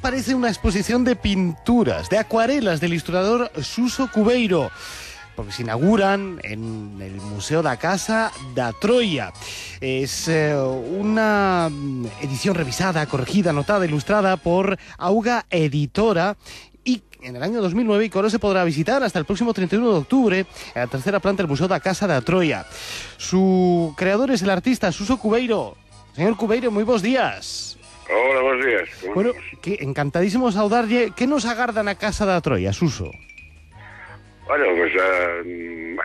aparece una exposición de pinturas, de acuarelas del ilustrador Suso Cubeiro, porque se inauguran en el Museo da Casa da Troia. Es una edición revisada, corregida, anotada, ilustrada por Auga Editora, y en el año 2009, y que ahora se podrá visitar hasta el próximo 31 de octubre en la tercera planta del Museo da Casa da Troia. Su creador es el artista Suso Cubeiro. Señor Cubeiro, muy buenos días. Hola, buenos días. Bueno, que encantadísimo saudarlle. Que nos agarda na Casa da Troia, Suso? Bueno, pues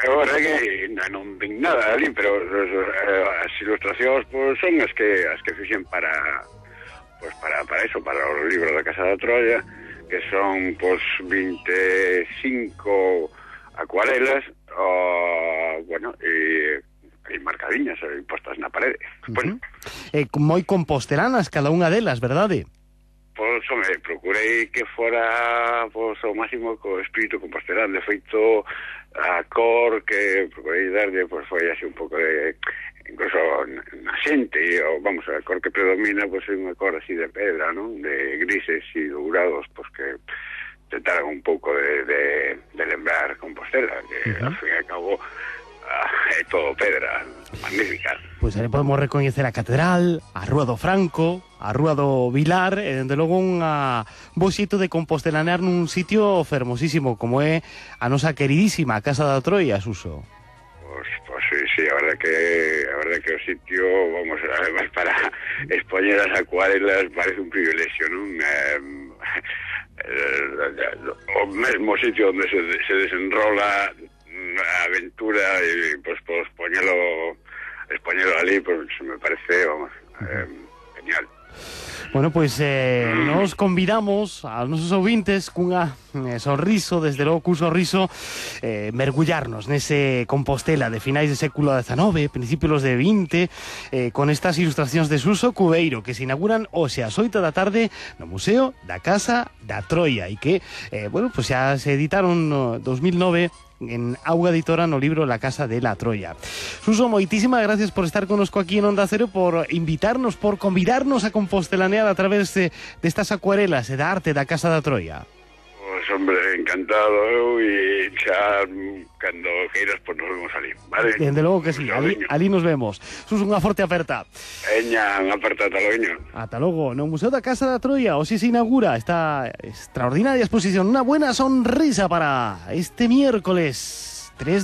agora que non ven nada ali, pero as ilustracións pues, son as que fixen para eso, para os libros da Casa da Troia, que son pues 25 acuarelas, bueno, e marcadiñas e postas na parede. Bueno. Moi compostelanas cada unha delas, verdade? Pois, home, procurei que fora pois, o máximo co espírito compostelán. De feito, a cor que procurei darlle pois, foi así un pouco de... incluso na xente, vamos, a cor que predomina pois, é unha cor así de pedra, non? De grises e dourados, pois que tentaran un pouco de lembrar Compostela, que ao fin e ao cabo é todo pedra, magnífica. Pois aí podemos recoñecer a Catedral, a Rúa do Franco, a Rúa do Vilar, e dende logo un bo xeito de compostelanear nun sitio fermosísimo como é a nosa queridísima Casa da Troia, Suso. Pues sí, a verdad que o sitio, vamos, además para expoñer as acuarelas parece un privilegio, non? O mesmo sitio onde se desenrola a aventura e pues expoñelo ali, pues me parece, vamos, genial. Bueno, pois nos convidamos aos nosos ouvintes cunha sorriso, desde logo cun sorriso, mergullarnos nese Compostela de finais de século XIX, principios de XX, con estas ilustracións de Suso Cubeiro, que se inauguran hoxe ás 8 da tarde no Museo da Casa da Troia, e que, bueno, pues xa se editaron no 2009 en Auga Editora no libro La Casa de la Troia. Suso, moitísimas gracias por estar connosco aquí en Onda Cero, por invitarnos, por convidarnos a compostelanear a través destas acuarelas e da arte da Casa da Troia. Pues, hombre, encantado eu, e xa cando queiras, pues nos vemos ali, vale? Dende logo que sí, ali nos vemos. Suso, unha forte aperta. Veña, unha aperta, ata logo. Ata logo, no Museo da Casa da Troia, hoxe se inaugura esta extraordinaria exposición, unha buena sonrisa para este miércoles.